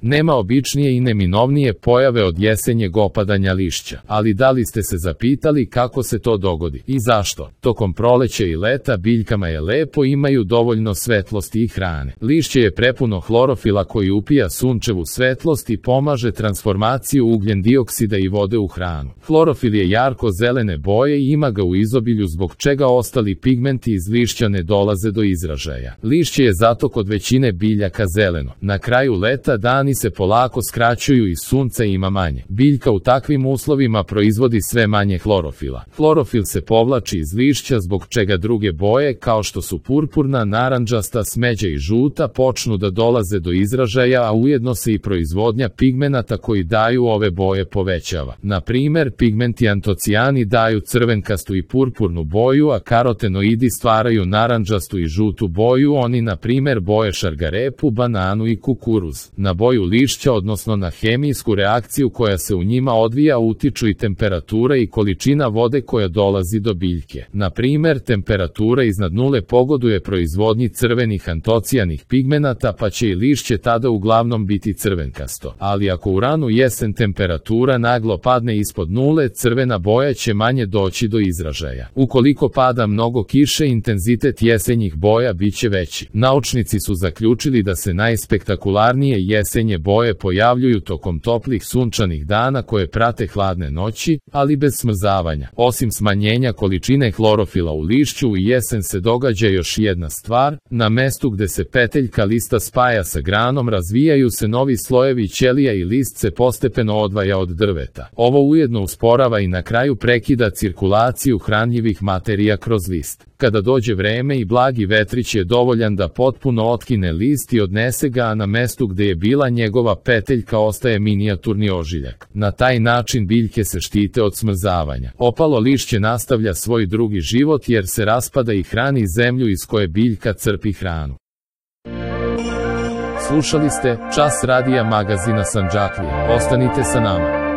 Nema običnije i neminovnije pojave od jesenjeg opadanja lišća, ali da li ste se zapitali kako se to dogodi i zašto? Tokom proleća i leta biljkama je lepo, imaju dovoljno svetlosti i hrane. Lišće je prepuno hlorofila koji upija sunčevu svetlost i pomaže transformaciju ugljen dioksida i vode u hranu. Hlorofil je jarko zelene boje i ima ga u izobilju, zbog čega ostali pigmenti iz lišća ne dolaze do izražaja. Lišće je zato kod većine biljaka zeleno. Na kraju leta dani se polako skraćuju i sunca ima manje. Biljka u takvim uslovima proizvodi sve manje hlorofila. Hlorofil se povlači iz lišća, zbog čega druge boje kao što su purpurna, narandžasta, smeđa i žuta počnu da dolaze do izražaja, a ujedno se i proizvodnja pigmenata koji daju ove boje povećava. Na primer, pigmenti antocijani daju crvenkastu i purpurnu boju, a karotenoidi stvaraju narandžastu i žutu boju, oni na primer boje šargarepu, bananu i kukuruz. Na boju lišća, odnosno na hemijsku reakciju koja se u njima odvija, utiču i temperatura i količina vode koja dolazi do biljke. Na primer, temperatura iznad nule pogoduje proizvodnji crvenih antocijanih pigmenata, pa će i lišće tada uglavnom biti crvenkasto. Ali ako u ranu jesen temperatura naglo padne ispod nule, crvena boja će manje doći do izražaja. Ukoliko pada mnogo kiše, intenzitet jesenjih boja biće veći. Naučnici su zaključili da se najspektakularnije jesenje boje pojavljuju tokom toplih sunčanih dana koje prate hladne noći, ali bez smrzavanja. Osim smanjenja količine hlorofila u lišću, u jesen se događa još jedna stvar. Na mestu gde se peteljka lista spaja sa granom razvijaju se novi slojevi ćelija i list se postepeno odvaja od drveta. Ovo ujedno usporava i na kraju prekida cirkulaciju hranjivih materija kroz list. Kada dođe vreme i blagi vetrić je dovoljan da potpuno otkine list i odnese ga, a na mestu gde je bila njegova peteljka ostaje minijaturni ožiljak. Na taj način biljke se štite od smrzavanja. Opalo lišće nastavlja svoj drugi život jer se raspada i hrani zemlju iz koje biljka crpi hranu. Slušali ste Čas radija magazina Sandžaklija. Ostanite sa nama.